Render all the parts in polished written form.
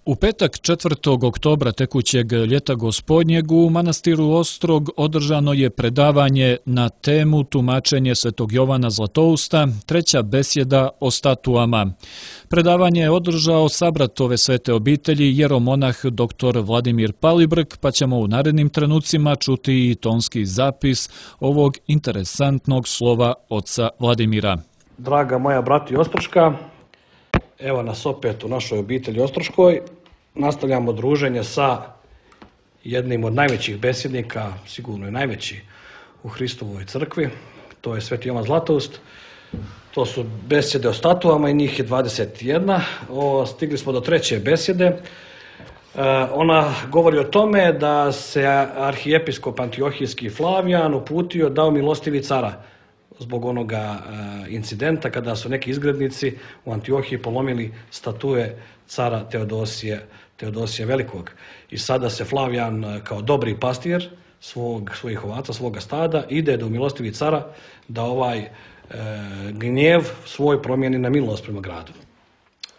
U petak 4. oktobra tekućeg ljeta gospodnjeg u manastiru Ostrog održano je predavanje na temu tumačenje Svetog Jovana Zlatousta, treća besjeda o statuama. Predavanje je održao sabrat ove svete obitelji jeromonah dr. Vladimir Palibrk, pa ćemo u narednim trenucima čuti i tonski zapis ovog interesantnog slova oca Vladimira. Draga moja brati Ostroška, evo nas opet u našoj obitelji Ostroškoj. Nastavljamo druženje sa jednim od najvećih besjednika, sigurno je najveći u Hristovoj crkvi, to je Sveti Jovan Zlatoust. To su besjede o statuama i njih je 21. Stigli smo do treće besjede. Ona govori o tome da se arhijepiskop Antiohijski Flavijan uputio dao milostivi cara zbog onoga incidenta kada su neki izgrednici u Antiohiji polomili statue cara Teodosija Velikog. I sada se Flavijan kao dobri pastir svojih ovaca, svoga stada, ide do milostivi cara da ovaj gnjev svoj promijeni na milost prema gradu.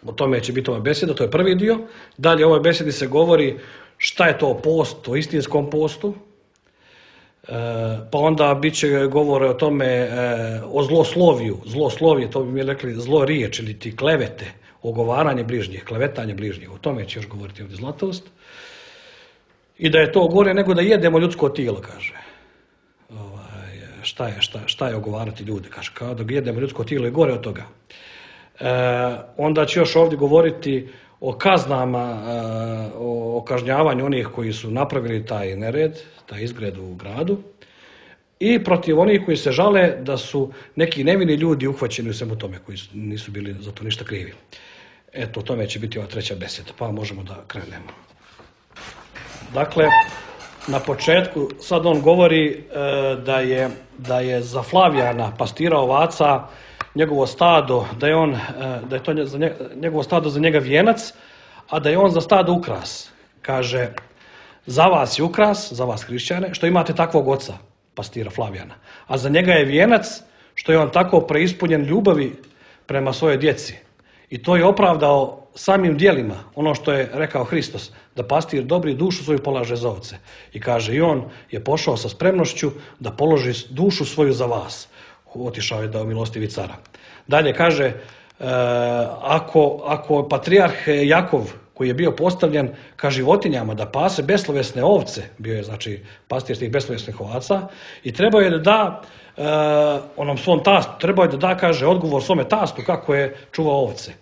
O tome će biti ova besjeda, to je prvi dio. Dalje u ovoj besjedi se govori šta je to post, o istinskom postu. Pa onda bit će govore o tome, o zlosloviju. Zloslovje, to bi mi rekli zlo riječ ili ti klevete, ogovaranje bližnjih, klevetanje bližnjih. O tome će još govoriti ovdje Zlatoust. I da je to gore nego da jedemo ljudsko tijelo, kaže. Šta je ogovarati ljude, kaže. Kao da jedemo ljudsko tijelo i gore od toga. Onda će još ovdje govoriti o kaznama, o kažnjavanju onih koji su napravili taj nered, taj izgred u gradu i protiv onih koji se žale da su neki nevini ljudi uhvaćeni u svemu tome, koji nisu bili za to ništa krivi. Eto, o tome će biti ova treća besjeda, pa možemo da krenemo. Dakle, na početku sad on govori da je za Flavijana, pastira ovaca, njegovo stado, da je to njegovo stado za njega vijenac, a da je on za stado ukras. Kaže, za vas je ukras, za vas hrišćane, što imate takvog oca, pastira Flavijana. A za njega je vijenac, što je on tako preispunjen ljubavi prema svojoj djeci. I to je opravdao samim djelima, ono što je rekao Hristos, da pastir dobri dušu svoju polaže za ovce. I kaže, i on je pošao sa spremnošću da položi dušu svoju za vas. Otišao je da milostivi cara. Dalje kaže, ako patrijarh Jakov, koji je bio postavljen ka životinjama da pase beslovesne ovce, bio je znači pastir tih beslovesnih ovaca, i trebao je da da onom svom tastu, trebao je da da, kaže, odgovor svome tastu kako je čuvao ovce.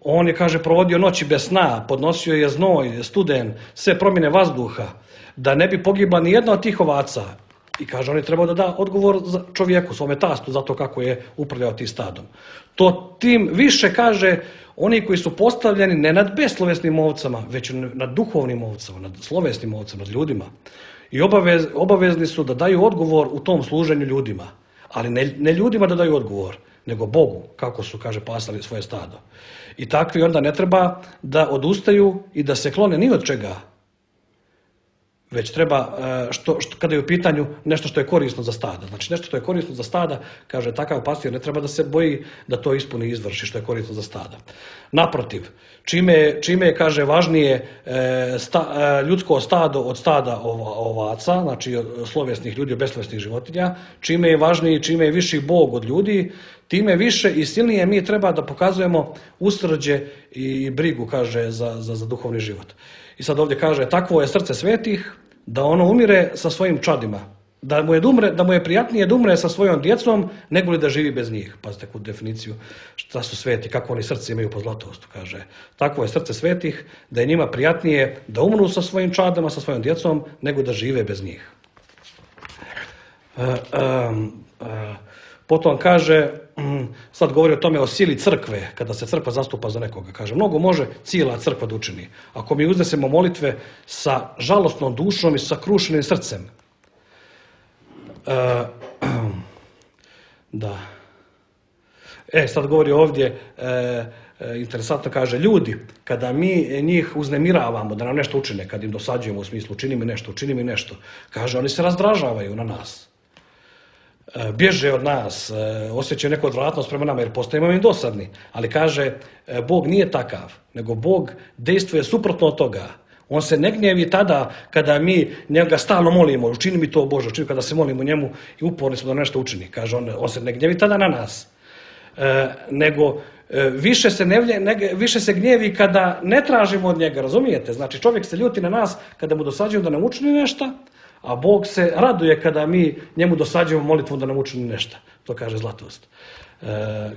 On je, kaže, provodio noći bez sna, podnosio je znoj, studen, sve promjene vazduha, da ne bi pogibla ni jedna od tih ovaca. I kaže, on je trebao da da odgovor čovjeku, svome tastu, za to kako je upravljao tim stadom. To tim više, kaže, oni koji su postavljeni ne nad beslovesnim ovcama, već nad duhovnim ovcama, nad slovesnim ovcama, nad ljudima. I obavezni su da daju odgovor u tom služenju ljudima. Ali ne ljudima da daju odgovor, nego Bogu, kako su, kaže, pasali svoje stado. I takvi onda ne treba da odustaju i da se klone ni od čega, već treba, kada je u pitanju nešto što je korisno za stada. Znači nešto što je korisno za stada, kaže, takav pastir ne treba da se boji da to ispuni i izvrši što je korisno za stada. Naprotiv, čime je, kaže, važnije ljudsko stado od stada ovaca, znači slovesnih ljudi od beslovesnih životinja, čime je važniji, čime je viši Bog od ljudi, time više i silnije mi treba da pokazujemo usrđe i brigu, kaže, za duhovni život. I sad ovdje kaže, takvo je srce svetih, da ono umire sa svojim čadima. Da mu je prijatnije da umre sa svojom djecom, nego li da živi bez njih. Pazite takvu definiciju šta su sveti, kako oni srce imaju po Zlatoustu. Kaže, takvo je srce svetih, da je njima prijatnije da umru sa svojim čadama, sa svojom djecom, nego da žive bez njih. Potom kaže, sad govori o tome o sili crkve, kada se crkva zastupa za nekoga. Kaže, mnogo može cijela crkva da učini. Ako mi uznesemo molitve sa žalostnom dušom i sa krušenim srcem. Da. Sad govori ovdje, interesantno kaže, ljudi, kada mi njih uznemiravamo da nam nešto učine, kad im dosađujemo u smislu učini mi nešto, kaže, oni se razdražavaju na nas. bježe od nas, osjećaju neku odvratnost prema nama jer postajemo im dosadni. Ali kaže, Bog nije takav, nego Bog dejstvuje suprotno od toga. On se ne gnjevi tada kada mi njega stalno molimo, učini mi to Bože, učini kada se molimo njemu i uporni smo da nešto učini. Kaže, on se ne gnjevi tada na nas, nego više se gnjevi kada ne tražimo od njega, razumijete? Znači čovjek se ljuti na nas kada mu dosađujemo da nam učini nešto, a Bog se raduje kada mi njemu dosađujemo molitvom da nam učini nešto. To kaže Zlatoust.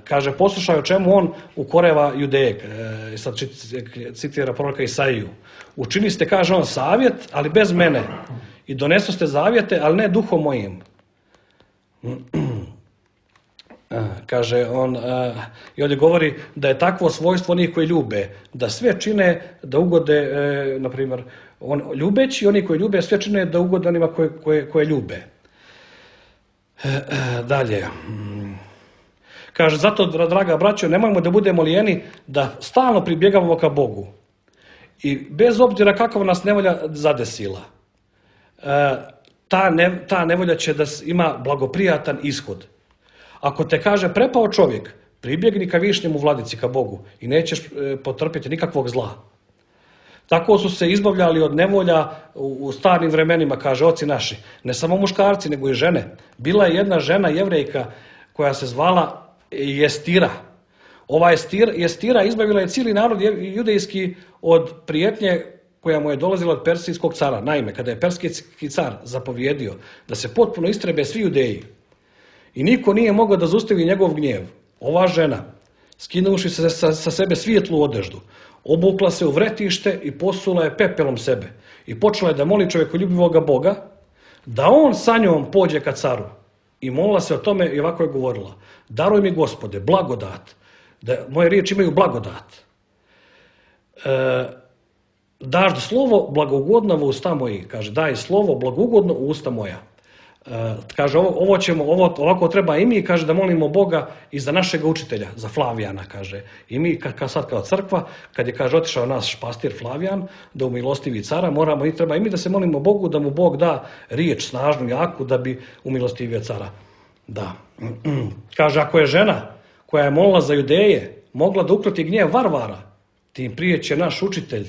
Kaže, poslušaj o čemu on ukoreva Judeje. I sad citira proroka Isaiju. Učiniste, kaže on, savjet, ali bez mene. I donesoste zavjete, ali ne duhom mojim. Kaže on, i ovdje govori da je takvo svojstvo onih koji ljube, da sve čine da ugode, na primjer, ljubeći, oni koji ljube sve čine da ugode onima koje ljube. Dalje. Kaže, zato, draga braćo, nemojmo da budemo lijeni da stalno pribjegavamo ka Bogu. I bez obzira kakva nas nevolja zadesila, ta nevolja će da ima blagoprijatan ishod. Ako te kaže prepao čovjek, pribjegni ka višnjemu vladici, ka Bogu i nećeš potrpiti nikakvog zla. Tako su se izbavljali od nevolja u starim vremenima, kaže oci naši. Ne samo muškarci, nego i žene. Bila je jedna žena Jevrejka koja se zvala Jestira. Ova Jestira izbavila je cijeli narod judejski od prijetnje koja mu je dolazila od persijskog cara. Naime, kada je persijski car zapovjedio da se potpuno istrebe svi Judeji i niko nije mogao da zaustavi njegov gnjev, ova žena, skinuši se sa sebe svijetlu odeždu, obukla se u vretište i posula je pepelom sebe i počela je da moli čovjekoljubivoga Boga da on sa njom pođe ka caru. I molila se o tome i ovako je govorila: daruj mi, Gospode, blagodat, da moje riječi imaju blagodat. Daš slovo blagougodno u usta moji, kaže, daj slovo blagougodno u usta moja. Kaže, ovako treba i mi, kaže, da molimo Boga i za našeg učitelja, za Flavijana, kaže. I mi sad kao crkva, kad je, kaže, otišao naš pastir Flavijan, da umilostivi cara, treba i mi da se molimo Bogu da mu Bog da riječ snažnu, jaku, da bi umilostivio cara. Da. Kaže, ako je žena koja je molila za Judeje mogla da ukroti gnjev varvara, tim prije će naš učitelj,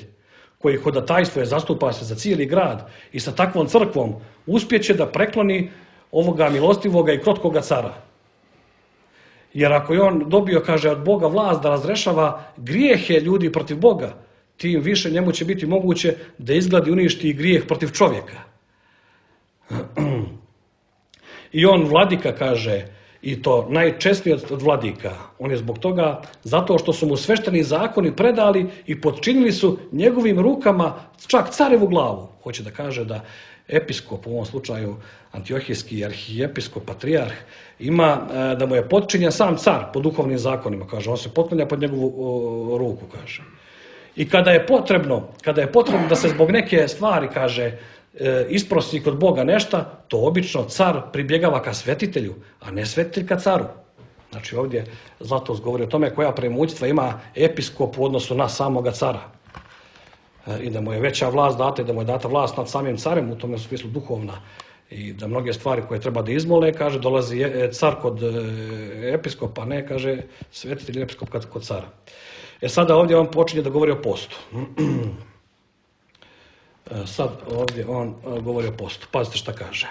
koji hodatajstvo je, zastupa se za cijeli grad i sa takvom crkvom uspjeće da prekloni ovoga milostivoga i krotkoga cara. Jer ako je on dobio, kaže, od Boga vlast da razrešava grijehe ljudi protiv Boga, tim više njemu će biti moguće da izgladi uništi grijeh protiv čovjeka. I on vladika, kaže, i to najčesnije od vladika. On je zbog toga, zato što su mu svešteni zakoni predali i potčinili su njegovim rukama čak carevu glavu. Hoće da kaže da episkop, u ovom slučaju antiohijski arhijepiskop, patrijarh, ima da mu je potčinjen sam car po duhovnim zakonima, kaže. On se potklanja pod njegovu ruku, kaže. I kada je potrebno da se zbog neke stvari, kaže, isprosi kod Boga nešto, to obično car pribjegava ka svetitelju, a ne svetitelj ka caru. Znači ovdje Zlatoust govori o tome koja premoćstva ima episkop u odnosu na samoga cara. I da mu je veća vlast data i da mu je data vlast nad samim carem, u tome smislu duhovna. I da mnoge stvari koje treba da izmole, kaže, dolazi car kod episkopa, ne, kaže, svetitelj episkop kod cara. Sada ovdje on počinje da govori o postu. Sad ovdje on govori o postu. Pazite šta kaže.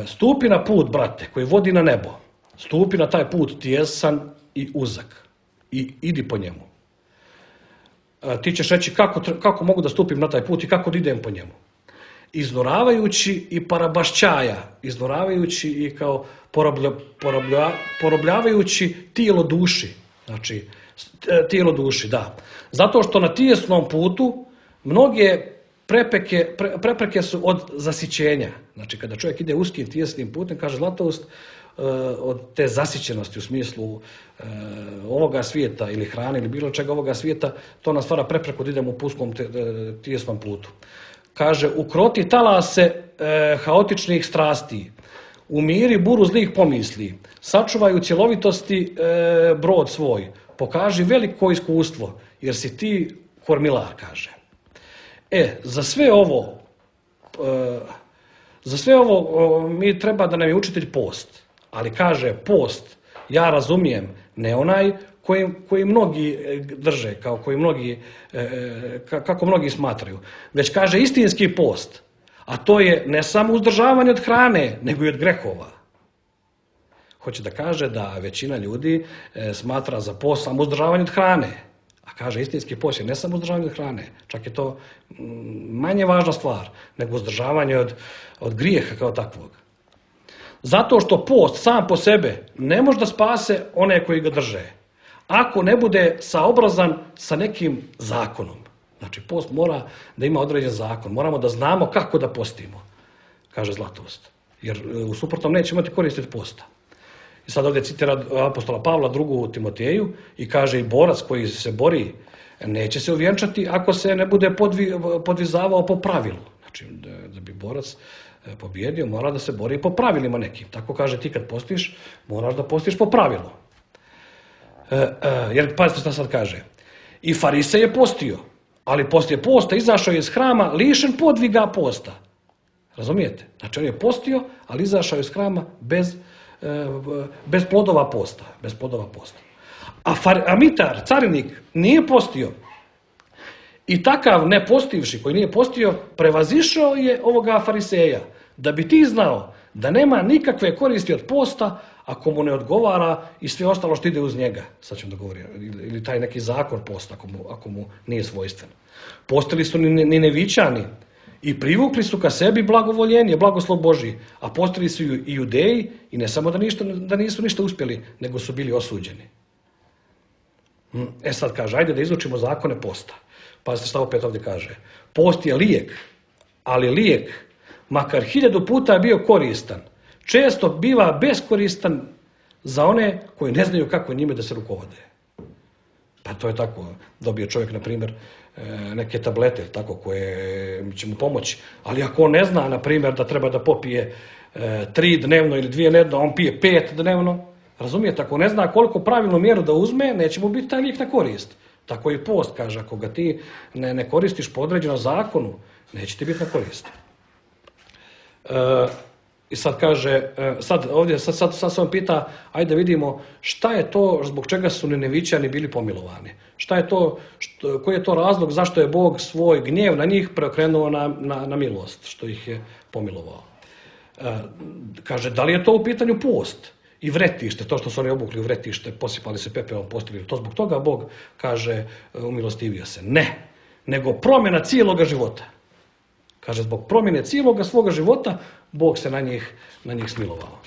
Stupi na put, brate, koji vodi na nebo. Stupi na taj put tijesan i uzak. I idi po njemu. Ti ćeš reći kako mogu da stupim na taj put i kako da idem po njemu. Iznoravajući i parabašćaja. Iznoravajući i kao porobljavajući tijelo duši. Znači, tijelo duši, da. Zato što na tijesnom putu mnoge prepreke su od zasićenja. Znači, kada čovjek ide uskim tijesnim putem, kaže Zlatoust, od te zasićenosti u smislu ovoga svijeta ili hrane ili bilo čega ovoga svijeta, to nas stvara prepreku da idemo u puskom tijesnom putu. Kaže, ukroti talase haotičnih strasti, umiri buru zlih pomisli, sačuvaj u cjelovitosti brod svoj, pokaži veliko iskustvo, jer si ti kormilar, kaže. Za sve ovo, Za sve ovo mi treba da nam je učitelj post, ali kaže post, ja razumijem, ne onaj koji mnogi drže, kako mnogi smatraju, već kaže istinski post, a to je ne samo uzdržavanje od hrane, nego i od grehova. Hoće da kaže da većina ljudi smatra za post samo uzdržavanje od hrane, a kaže istinski post je ne samo uzdržavanje od hrane, čak je to manje važna stvar nego uzdržavanje od grijeha kao takvog. Zato što post sam po sebe ne može da spase one koji ga drže, ako ne bude saobrazan sa nekim zakonom. Znači post mora da ima određen zakon, moramo da znamo kako da postimo, kaže Zlatoust, jer u suprotnom nećemo imati koristi od posta. I sad ovdje citira apostola Pavla 2. Timoteju i kaže i borac koji se bori neće se uvjenčati ako se ne bude podvizavao po pravilu. Znači da bi borac pobjedio mora da se bori po pravilima nekim. Tako kaže ti kad postiš moraš da postiš po pravilu. Jer pazite šta sad kaže. I Farisej je postio, ali poslije posta izašao je iz hrama lišen podviga posta. Razumijete? Znači on je postio, ali izašao je iz hrama bez plodova posta. A mitar, carinik, nije postio. I takav ne postivši, koji nije postio, prevazišao je ovoga Fariseja. Da bi ti znao da nema nikakve koristi od posta ako mu ne odgovara i sve ostalo što ide uz njega. Sad ćemo da govorim. Ili taj neki zakon posta ako mu nije svojstven. Postili su Ninevićani i privukli su ka sebi blagovoljenje, blagoslov Božji, a postali su i Judeji i ne samo da nisu ništa uspjeli, nego su bili osuđeni. Sad kaže, ajde da izučimo zakone posta. Pazite šta opet ovdje kaže. Post je lijek, ali lijek, makar 1000 puta bio koristan, često biva beskoristan za one koji ne znaju kako njime da se rukovode. Pa to je tako, dobije čovjek, na primjer, neke tablete tako, koje će mu pomoći, ali ako on ne zna, na primjer, da treba da popije 3 dnevno ili 2 dnevno, on pije 5 dnevno, razumijete, ako ne zna koliko pravilnu mjeru da uzme, neće mu biti taj lijek na korist. Tako i post, kaže, ako ga ti ne koristiš po određenom zakonu, neće ti biti na korist. I sad kaže, sad se on pita, ajde vidimo šta je to, zbog čega su Ninevićani bili pomilovani. Šta je to, koji je to razlog zašto je Bog svoj gnjev na njih preokrenuo na milost, što ih je pomilovao. Kaže, da li je to u pitanju post i vretište, to što su oni obukli u vretište, posipali se pepelom, postigli, to zbog toga Bog kaže, umilostivio se. Ne, nego promjena cijeloga života. Kaže, zbog promjene cijeloga svoga života, Bog se na njih smilovao.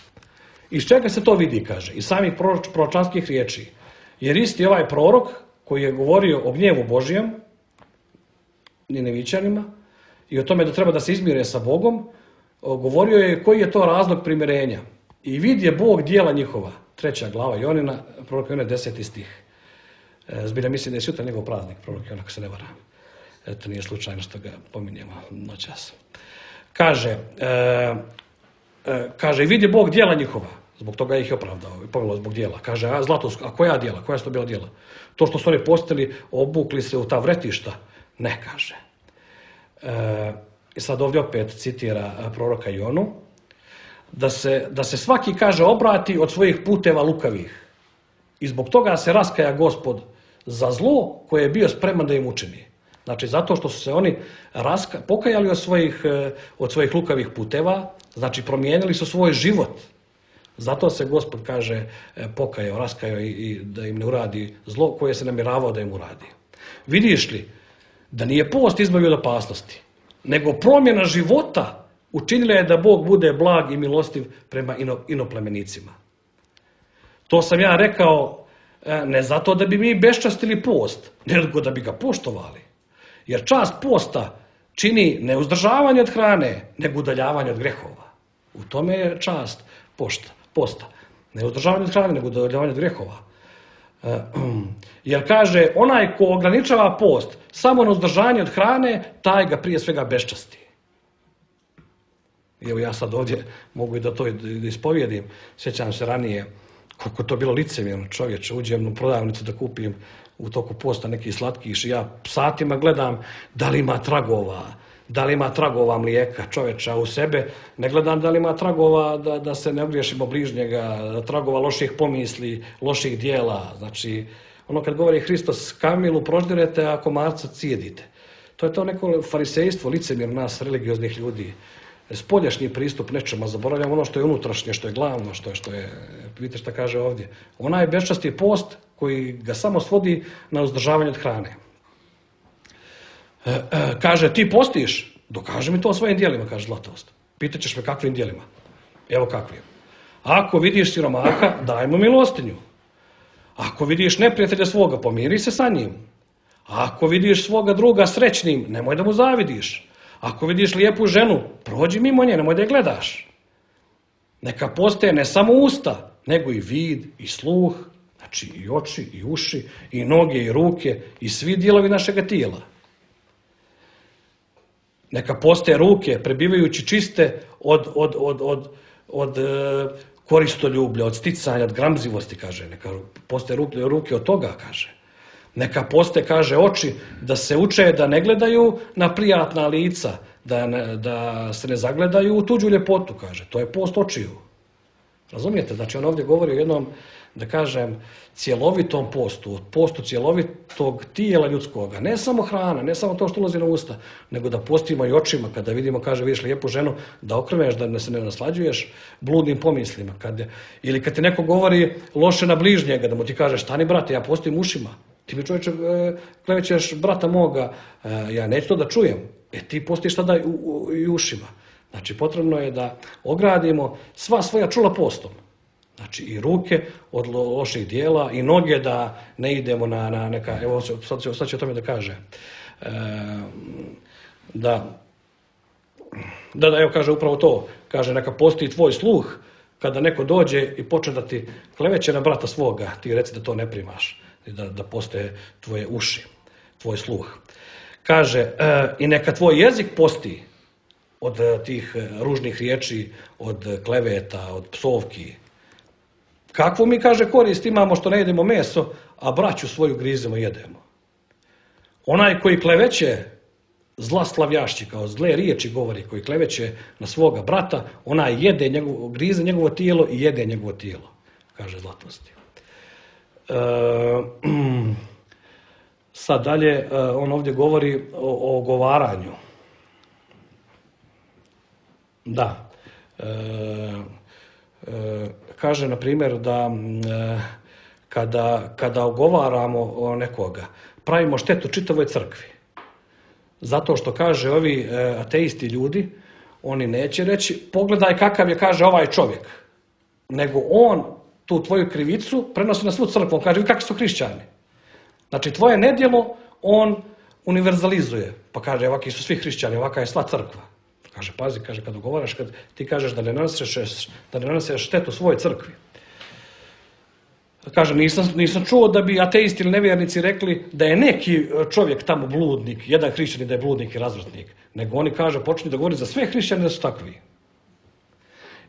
Iz čega se to vidi, kaže, iz samih proročanskih riječi. Jer isti ovaj prorok koji je govorio o gnjevu Božijem, Ninevićanima, i o tome da treba da se izmire sa Bogom, govorio je koji je to razlog primirenja. I vidje Bog djela njihova, 3. glava Jonina, prorok Jona 10. stih. Zbilja mislim da je sutra njegov praznik, prorok Jona, ako se ne varam. Eto, nije slučajno što ga pominjemo noćas. Kaže, vidi Bog djela njihova, zbog toga ih je opravdao i pomilovao zbog djela. Kaže, Zlatoust, a koja djela, koja su to bila djela? To što su oni postili, obukli se u ta vretišta? Ne, kaže. I sad ovdje opet citira proroka Jonu, da se svaki, kaže, obrati od svojih puteva lukavih. I zbog toga se raskaja Gospod za zlo koje je bio spreman da im učini. Znači, zato što su se oni pokajali od svojih lukavih puteva, znači promijenili su svoj život. Zato se Gospod, kaže, pokajao, raskajao i da im ne uradi zlo koje se namjeravao da im uradi. Vidiš li da nije post izbavio od opasnosti, nego promjena života učinila je da Bog bude blag i milostiv prema inoplemenicima. To sam ja rekao ne zato da bi mi beščastili post, nego da bi ga poštovali. Jer čast posta čini ne uzdržavanje od hrane, nego udaljavanje od grehova. U tome je čast posta. Ne uzdržavanje od hrane, nego udaljavanje od grehova. Jer kaže, onaj ko ograničava post samo na uzdržanje od hrane, taj ga prije svega beščasti. Evo ja sad ovdje mogu i da to ispovijedim. Sjećam se ranije koliko to bilo licemjerno, čovječe, uđem u prodavnicu da kupim u toku posta neki slatkiš i ja satima gledam da li ima tragova, da li ima tragova mlijeka čovječa u sebe, ne gledam da li ima tragova da se ne ogriješimo bližnjega, tragova loših pomisli, loših dijela. Znači, ono kad govori Hristos, kamilu proždirete, a komarca cijedite. To je to neko farisejstvo, licemjer nas, religioznih ljudi. Spoljašnji pristup nečemu, zaboravljamo ono što je unutrašnje, što je glavno, što je, vidite šta kaže ovdje. Onaj beščasti post koji ga samo svodi na uzdržavanje od hrane. Kaže, ti postiš? Dokaži mi to svojim dijelima, kaže Zlatoust. Pitaćeš me kakvim dijelima? Evo kakvim. Ako vidiš siromaha, daj mu milostinju. Ako vidiš neprijatelja svoga, pomiri se sa njim. Ako vidiš svoga druga srećnim, nemoj da mu zavidiš. Ako vidiš lijepu ženu, prođi mimo nje, nemoj da je gledaš. Neka postaje ne samo usta, nego i vid, i sluh, znači i oči, i uši, i noge, i ruke, i svi dijelovi našega tijela. Neka postaje ruke, prebivajući čiste od koristoljublja, od sticanja, od gramzivosti, kaže. Neka postaje ruke od toga, kaže. Neka postaje, kaže, oči da se uče da ne gledaju na prijatna lica, da se ne zagledaju u tuđu ljepotu, kaže. To je post očiju. Razumijete? Znači on ovdje govori o jednom, da kažem, cjelovitom postu, postu cjelovitog tijela ljudskoga. Ne samo hrana, ne samo to što ulazi na usta, nego da postimo i očima. Kada vidimo, kaže, vidiš lijepu ženu, da okreneš, da se ne naslađuješ bludnim pomislima. Ili kad ti neko govori loše na bližnjega, da mu ti kaže, stani brate, ja postim ušima. Ti mi čovječe klevećeš brata moga, ja neću to da čujem. Ti postiš tada i ušima. Znači, potrebno je da ogradimo sva svoja čula postom. Znači, i ruke od loših dijela, i noge da ne idemo na neka, evo sad će o tome da kaže, evo kaže upravo to, kaže neka postoji tvoj sluh, kada neko dođe i počne da ti kleveće na brata svoga, ti reci da to ne primaš, da postoje tvoje uši, tvoj sluh. Kaže, i neka tvoj jezik posti od tih ružnih riječi, od kleveta, od psovki. Kakvu mi, kaže, korist imamo što ne jedemo meso, a braću svoju grizemo i jedemo. Onaj koji kleveće, zlaslavljašći, kao zle riječi govori, koji kleveće na svoga brata, onaj grize njegovo tijelo i jede njegovo tijelo, kaže Zlatoust. Sad dalje, on ovdje govori o ogovaranju. Da. Kaže, na primjer, da kada ogovaramo nekoga, pravimo štetu čitavoj crkvi. Zato što, kaže, ovi ateisti ljudi, oni neće reći, pogledaj kakav je, kaže, ovaj čovjek. Nego on tu tvoju krivicu prenosi na svu crkvu. On kaže, kakvi su hrišćani. Znači, tvoje nedjelo on univerzalizuje. Pa kaže, ovakvi su svi hrišćani, ovaka je sva crkva. Kaže, pazi, kaže, kad ugovaraš, kad ti kažeš da ne nanosiš štetu svojoj crkvi. Kaže, nisam čuo da bi ateisti ili nevjernici rekli da je neki čovjek tamo bludnik, jedan hrišćanin da je bludnik i razvratnik. Nego oni, kaže, počnu da govori za sve hrišćane da su takvi.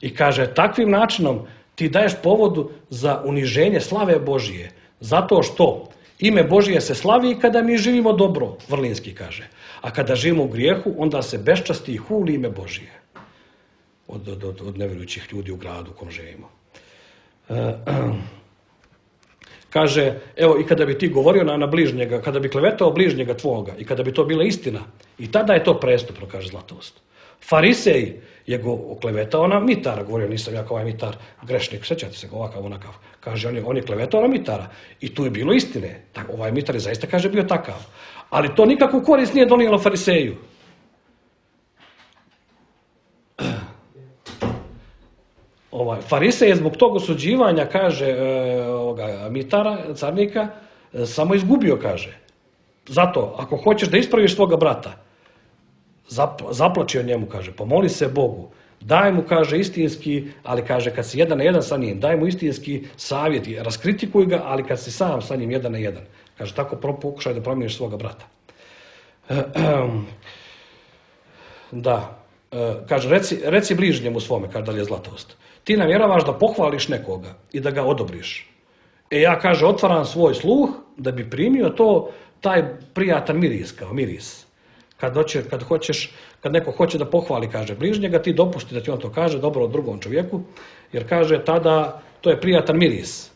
I kaže, takvim načinom ti daješ povodu za uniženje slave Božije. Zato što ime Božije se slavi kada mi živimo dobro, Vrlinski kaže. A kada živimo u grijehu, onda se beščasti i huli ime Božije. Od nevjerujućih ljudi u gradu u kom živimo. Kaže, evo, i kada bi ti govorio na bližnjega, kada bi klevetao bližnjega tvoga i kada bi to bila istina, i tada je to prestupno, kaže Zlatoust. Farisej je go oklevetao na mitara, govorio, nisam ja kao ovaj mitar grešnik, sjećate se, ovakav, onakav. Kaže, on je klevetao na mitara i tu je bilo istine. Ovaj mitar je zaista, kaže, bio takav. Ali to nikakvu korist nije donijelo fariseju. Farisej je zbog tog osuđivanja, kaže, mitara, carnika, samo izgubio, kaže. Zato, ako hoćeš da ispraviš svoga brata, zaplači o njemu, kaže, pomoli se Bogu, daj mu, kaže, istinski, ali kaže, kad si jedan na jedan sa njim, daj mu istinski savjet, raskritikuj ga, ali kad si sam sa njim jedan na jedan. Kaže, tako pokušaj da promijeniš svoga brata. Da. Kaže, reci bližnjemu svome, kaže dalje Zlatoust. Ti namjeravaš da pohvališ nekoga i da ga odobriš. Ja, kaže, otvaram svoj sluh da bi primio taj prijatan miris, kao miris. Kad neko hoće da pohvali, kaže bližnjega, ti dopusti da ti on to kaže, dobro o drugom čovjeku, jer kaže tada to je prijatan miris.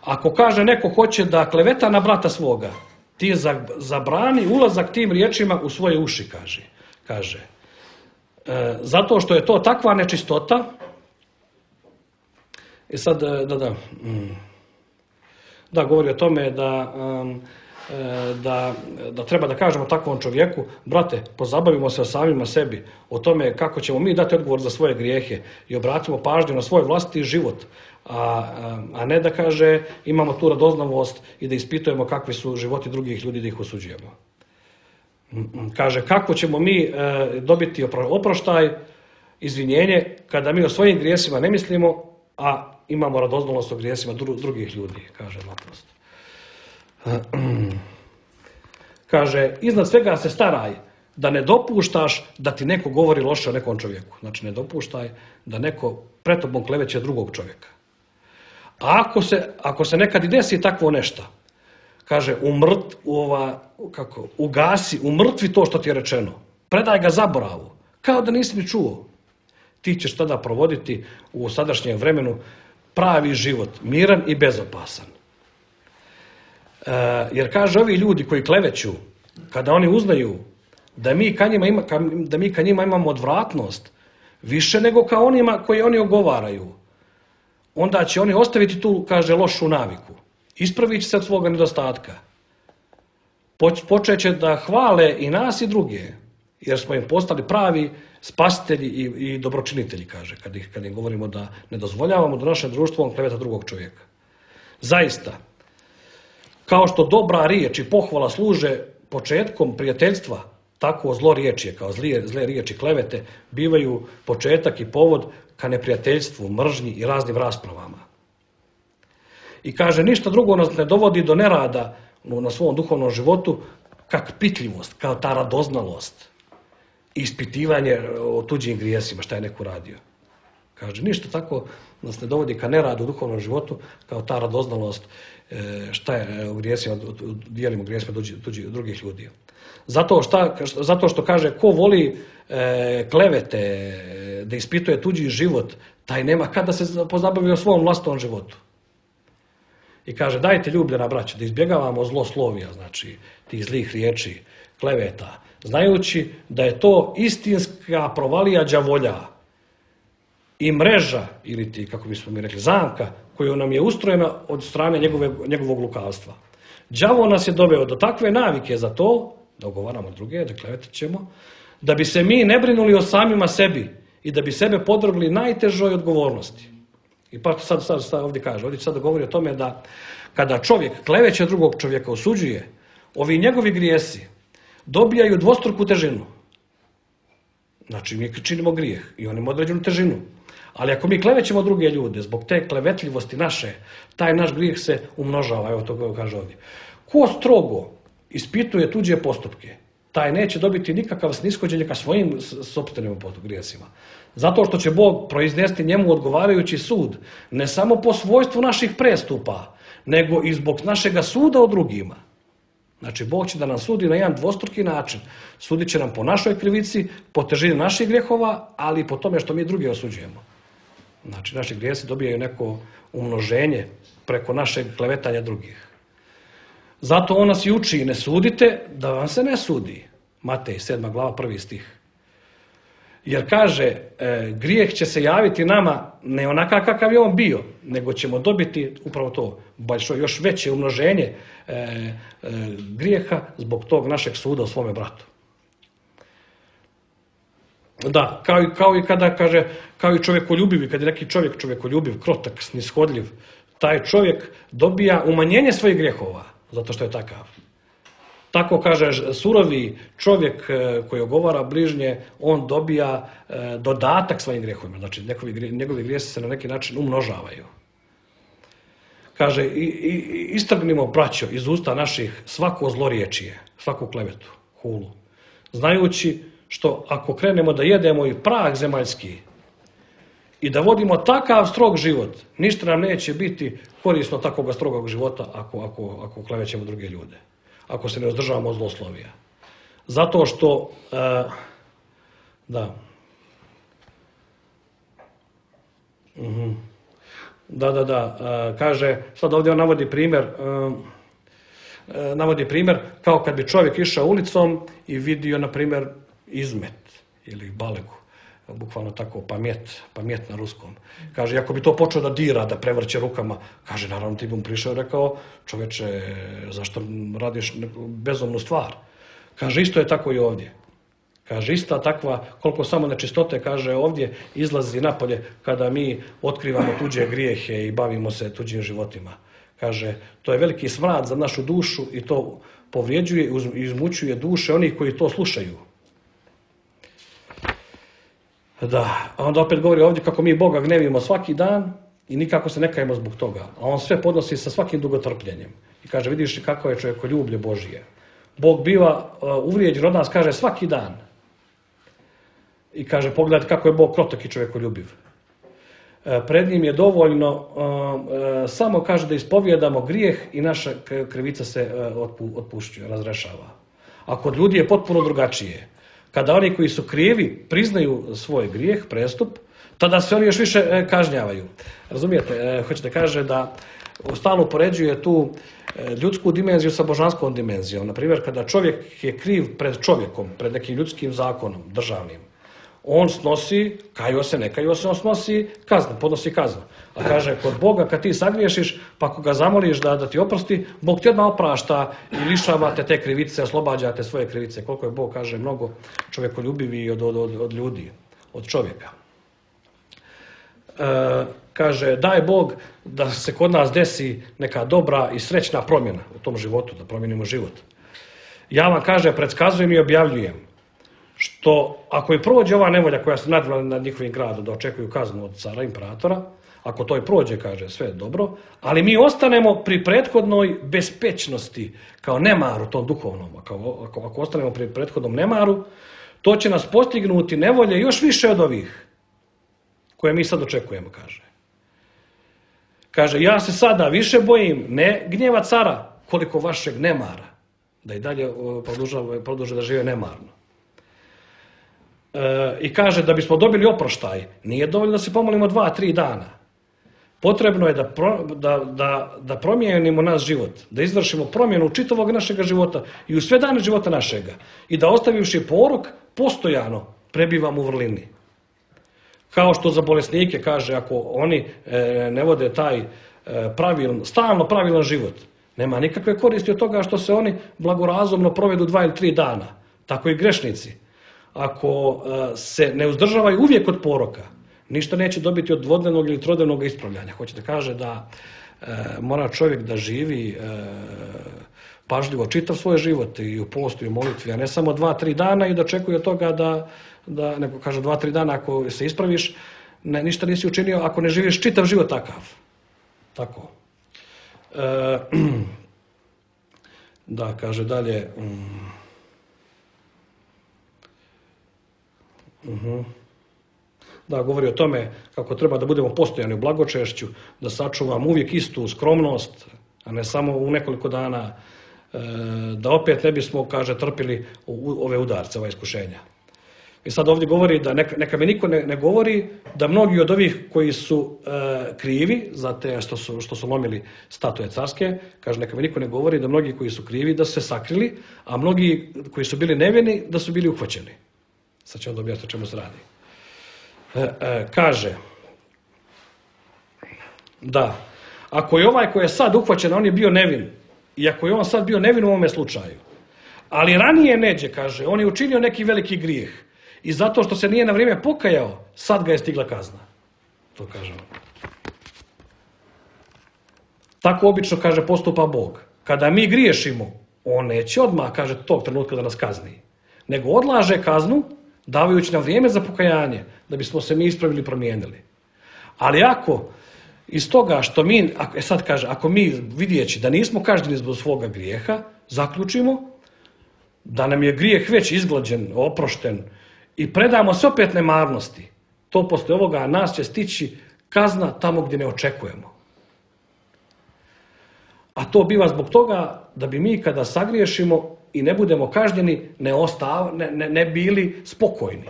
Ako kaže neko hoće da kleveta na brata svoga, ti zabrani ulazak tim riječima u svoje uši, kaže. Zato što je to takva nečistota. I sad, da govori o tome da treba da kažemo takvom čovjeku, brate, pozabavimo se o samima sebi, o tome kako ćemo mi dati odgovor za svoje grijehe i obratimo pažnju na svoj vlastiti život, a ne da kaže imamo tu radoznalost i da ispitujemo kakvi su životi drugih ljudi da ih osuđujemo. Kaže, kako ćemo mi dobiti oproštaj, izvinjenje, kada mi o svojim grijesima ne mislimo, a imamo radoznalost o grijesima drugih ljudi, kaže naprosto. Kaže, iznad svega se staraj da ne dopuštaš da ti neko govori loše o nekom čovjeku. Znači, ne dopuštaj da neko pred tobom kleveće drugog čovjeka. A ako se nekad i desi takvo nešto, kaže, ugasi, umrtvi to što ti je rečeno. Predaj ga zaboravu, kao da nisi ni čuo. Ti ćeš tada provoditi u sadašnjem vremenu pravi život, miran i bezopasan. Jer kaže, ovi ljudi koji kleveću, kada oni uznaju da mi ka njima imamo odvratnost, više nego ka onima koji oni ogovaraju, onda će oni ostaviti tu, kaže, lošu naviku. Ispravit će se od svoga nedostatka. Počet će da hvale i nas i druge, jer smo im postali pravi spasitelji i dobročinitelji, kaže, kad im govorimo da ne dozvoljavamo da naše društvo kleveta drugog čovjeka. Zaista, kao što dobra riječ i pohvala služe početkom prijateljstva, tako zloriječje, kao zle riječi klevete, bivaju početak i povod ka neprijateljstvu, mržnji i raznim raspravama. I kaže, ništa drugo nas ne dovodi do nerada na svom duhovnom životu, kak pitljivost, kao ta radoznalost i ispitivanje o tuđim grijesima, šta je neko radio. Kaže, ništa tako nas ne dovodi ka neradu u duhovnom životu, kao ta radoznalost šta je u grijesima, dijelimo grijesima drugih ljudi. Zato što kaže, ko voli klevete, da ispituje tuđi život, taj nema kada se pozabavi o svom vlastnom životu. I kaže, dajte ljubljena braćo, da izbjegavamo zloslovija, znači tih zlih riječi, kleveta, znajući da je to istinska provalija đavolja i mreža, ili ti, kako bismo mi rekli, zamka, koju nam je ustrojena od strane njegovog lukavstva. Đavo nas je doveo do takve navike za to, da ogovaramo druge, da klevetat ćemo, da bi se mi ne brinuli o samima sebi i da bi sebe podvrgli najtežoj odgovornosti. I pa sad ovdje kaže, ovdje sad govori o tome da kada čovjek kleveće drugog čovjeka, osuđuje, ovi njegovi grijesi dobijaju dvostruku težinu. Znači, mi činimo grijeh i on ima određenu težinu. Ali ako mi klevećemo druge ljude zbog te klevetljivosti naše, taj naš grijeh se umnožava, evo to kaže ovdje. Ko strogo ispituje tuđe postupke, taj neće dobiti nikakav snishođenje ka svojim sopstvenim grijesima. Zato što će Bog proiznesti njemu odgovarajući sud, ne samo po svojstvu naših prestupa, nego i zbog našega suda o drugima. Znači, Bog će da nam sudi na jedan dvostruki način. Sudit će nam po našoj krivici, po težini naših grijehova, ali i po tome što mi druge osuđujemo. Znači, naši grijesi dobijaju neko umnoženje preko našeg klevetanja drugih. Zato on nas i uči, ne sudite da vam se ne sudi. Matej 7. glava 1. stih. Jer kaže, grijeh će se javiti nama ne onaka kakav je on bio, nego ćemo dobiti upravo to, još veće umnoženje grijeha zbog tog našeg suda o svome bratu. Da, kao i kada kaže, kao i čovjekoljubiv, kad je neki čovjek čovjekoljubiv, krotak, snishodljiv, taj čovjek dobija umanjenje svojih grijehova, zato što je takav. Tako kaže, surovi čovjek koji ogovara bližnje, on dobija dodatak svojim grijehovima. Znači, njegovi grijesi se na neki način umnožavaju. Kaže, istrgnimo, braćo, iz usta naših svako zloriečije, svaku klevetu, hulu. Znajući što ako krenemo da jedemo i prah zemaljski i da takav strog život, ništa nam neće biti korisno takvog strogog života ako klevećemo druge ljude, ako se ne uzdržavamo od zloslovija. Zato što, da, kaže, sad ovdje on navodi primjer kao kad bi čovjek išao ulicom i vidio, na primjer, izmet ili balegu, bukvalno tako pamjet na ruskom. Kaže, ako bi to počeo da dira, da prevrće rukama, kaže, naravno ti bi mu prišao i rekao, čoveče, zašto radiš bezumnu stvar? Kaže, isto je tako i ovdje. Kaže, ista takva, koliko samo nečistote, kaže, ovdje izlazi napolje kada mi otkrivamo tuđe grijehe i bavimo se tuđim životima. Kaže, to je veliki smrad za našu dušu i to povrijeđuje i izmućuje duše onih koji to slušaju. Da, a onda opet govori ovdje kako mi Boga gnevimo svaki dan i nikako se ne kajemo zbog toga. A on sve podnosi sa svakim dugotrpljenjem. I kaže, vidiš kako je čovjekoljublje Božije. Bog biva uvrijeđen od nas, kaže, svaki dan. I kaže, pogledajte kako je Bog krotak i čovjekoljubiv. Pred njim je dovoljno samo, kaže, da ispovijedamo grijeh i naša krivica se otpušćuje, razrešava. A kod ljudi je potpuno drugačije. Kada oni koji su krivi priznaju svoj grijeh, prestup, tada se oni još više kažnjavaju. Razumijete? Hoćete kaže da stalno upoređuje tu ljudsku dimenziju sa božanskom dimenzijom. Naprimjer, kada čovjek je kriv pred čovjekom, pred nekim ljudskim zakonom, državnim, on snosi, kajio se, ne kajio se, on snosi kaznu, podnosi kaznu. A kaže, kod Boga kad ti sagriješiš, pa ako ga zamoliš da ti oprosti, Bog ti odmah oprašta i lišavate te krivice, oslobađate svoje krivice. Koliko je Bog, kaže, mnogo čovjekoljubiviji od ljudi, od čovjeka. Kaže, daj Bog da se kod nas desi neka dobra i srećna promjena u tom životu, da promijenimo život. Ja vam, kaže, predskazujem i objavljujem što ako i prođe ova nevolja koja se nadvila nad njihovim gradom da očekuju kaznu od cara imperatora, ako to i prođe, kaže, sve je dobro, ali mi ostanemo pri prethodnoj bespečnosti, kao nemaru tom duhovnom. Ako ostanemo pri prethodnom nemaru, to će nas postignuti nevolje još više od ovih koje mi sad očekujemo, kaže. Kaže, ja se sada više bojim ne gnjeva cara, koliko vašeg nemara, da i dalje produže da žive nemarno. I kaže, da bismo dobili oproštaj, nije dovoljno da se pomolimo 2-3 dana. Potrebno je da promijenimo naš život, da izvršimo promjenu čitavog našeg života i u sve dane života našega i da ostavivši porok postojano prebivamo u vrlini. Kao što za bolesnike, kaže, ako oni ne vode taj stalno pravilan život, nema nikakve koristi od toga što se oni blagorazumno provedu 2 ili 3 dana. Tako i grešnici. Ako se ne uzdržavaju uvijek od poroka, ništa neće dobiti od dvodnevnog ili trodnevnog ispravljanja. Hoćete kaže da mora čovjek da živi pažljivo čitav svoj život i u postu i u molitvi, a ne samo 2-3 dana i da očekuje od toga nego kaže 2-3 dana ako se ispraviš, ništa nisi učinio ako ne živiš čitav život takav. Tako. Da, kaže dalje. Da, govori o tome kako treba da budemo postojani u blagočešću, da sačuvamo uvijek istu skromnost, a ne samo u nekoliko dana, da opet ne bismo, kaže, trpili ove udarce, ova iskušenja. I sad ovdje govori da neka mi niko ne govori da mnogi od ovih koji su krivi za te što su lomili statue carske, kaže, neka mi niko ne govori da mnogi koji su krivi da su se sakrili, a mnogi koji su bili nevini da su bili uhvaćeni. Sad ću onda objasniti o čemu se radi. Kaže da ako je ovaj koji je sad uhvaćen, on je bio nevin, i ako je on sad bio nevin u ovome slučaju, ali ranije neđe, kaže, on je učinio neki veliki grijeh i zato što se nije na vrijeme pokajao, sad ga je stigla kazna. To kaže on. Tako obično, kaže, postupa Bog. Kada mi griješimo, on neće odmah, kaže, tog trenutka da nas kazni, nego odlaže kaznu davajući nam vrijeme za pokajanje, da bismo se mi ispravili i promijenili. Ali ako iz toga što mi, sad kaže, ako mi vidjeći da nismo kažnjeni zbog svoga grijeha, zaključimo da nam je grijeh već izglađen, oprošten i predamo se opet nemarnosti, to poslije ovoga nas će stići kazna tamo gdje ne očekujemo. A to biva zbog toga da bi mi kada sagriješimo i ne budemo kažnjeni, ne bili spokojni.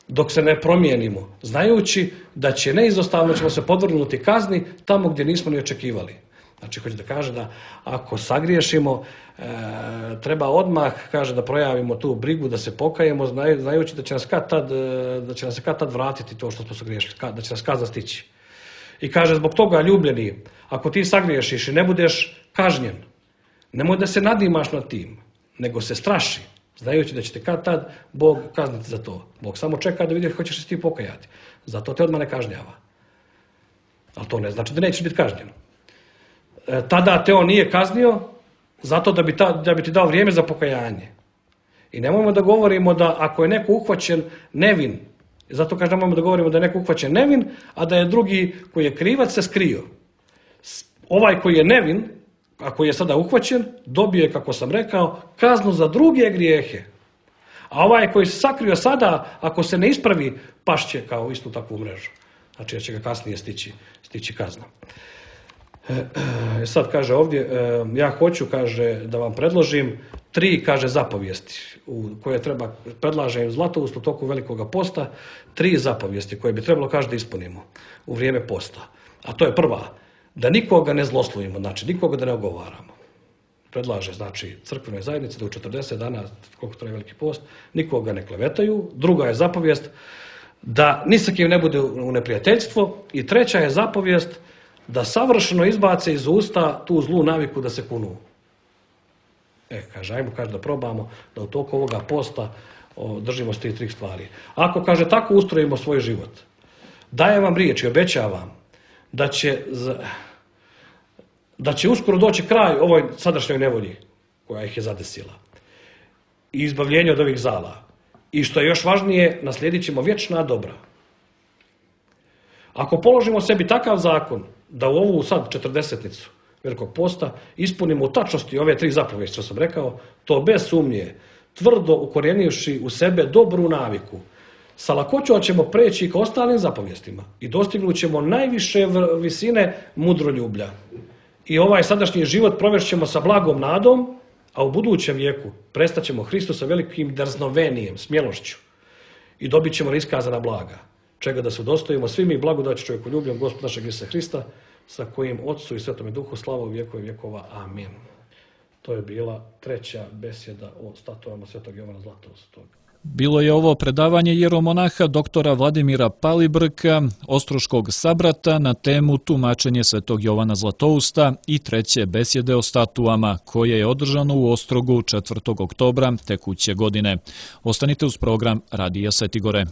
Dok se ne promijenimo, znajući da će neizostavno ćemo se podvrgnuti kazni tamo gdje nismo ni očekivali. Znači, hoće da kaže da ako sagriješimo, treba odmah, kaže, da projavimo tu brigu, da se pokajemo, znajući da će nas kad tad vratiti to što smo sagriješili, da će nas kazna stići. I kaže, zbog toga, ljubljeni, ako ti sagriješiš i ne budeš kažnjen, nemoj da se nadimaš nad tim, nego se straši, znajući da će te kad tad Bog kazniti za to. Bog samo čeka da vidi hoćeš se ti pokajati. Zato te odmah ne kažnjava. Ali to ne znači da nećeš biti kažnjen. Tada te on nije kaznio zato da bi ti dao vrijeme za pokajanje. I nemojmo da govorimo da ako je neko uhvaćen nevin, zato kažem nemojmo da govorimo da je neko uhvaćen nevin, a da je drugi koji je krivac se skrio. Ovaj koji je nevin, a koji je sada uhvaćen, dobije, kako sam rekao, kaznu za druge grijehe. A ovaj koji se sakrio sada, ako se ne ispravi, pašće kao istu takvu mrežu. Znači da će ga kasnije stići kazna. Sad kaže ovdje, ja hoću, kaže, da vam predložim 3, kaže, zapovijesti koje predlažem Zlatoust u toku Velikoga posta, 3 zapovijesti koje bi trebalo, kaže, da ispunimo u vrijeme posta. A to je prva, da nikoga ne zloslovimo, znači nikoga da ne ogovaramo. Predlaže, znači, crkvenoj zajednici da u 40 dana, koliko traje Veliki post, nikoga ne klevetaju. Druga je zapovijest da ni sa kim ne bude u neprijateljstvo. I treća je zapovijest da savršeno izbace iz usta tu zlu naviku da se kunu. Kaže, ajmo, kaže, da probamo da u toku ovoga posta držimo se tih 3 stvari. Ako, kaže, tako ustrojimo svoj život, dajem vam riječ i obećavam da će uskoro doći kraj ovoj sadašnjoj nevolji koja ih je zadesila i izbavljenje od ovih zala. I što je još važnije, naslijedit ćemo vječna dobra. Ako položimo sebi takav zakon da u ovu sad 40-nicu Velikog posta ispunimo u tačnosti ove 3 zapovijesti što sam rekao, to bez sumnje, tvrdo ukorjenivši u sebe dobru naviku, sa lakoćom ćemo preći ka ostalim zapovijestima i dostignut ćemo najviše visine mudroljublja. I ovaj sadašnji život provešćemo sa blagom nadom, a u budućem vijeku prestaćemo Hristusa velikim drznovenijem, smjelošću i dobit ćemo iskazana blaga, čega da se udostojimo svi mi blagodaću čovjekoljubljom Gospoda našeg Isusa Hrista, sa kojim Otcu i Svetome Duhu slava u vjekove vjekova. Amin. To je bila 3. besjeda o statuama Svetog Jovana Zlatoustog. Bilo je ovo predavanje jeromonaha doktora Vladimira Palibrka, ostroškog sabrata, na temu tumačenje Svetog Jovana Zlatousta i 3. besjede o statuama, koje je održano u Ostrogu 4. oktobra tekuće godine. Ostanite uz program Radija Svetigore.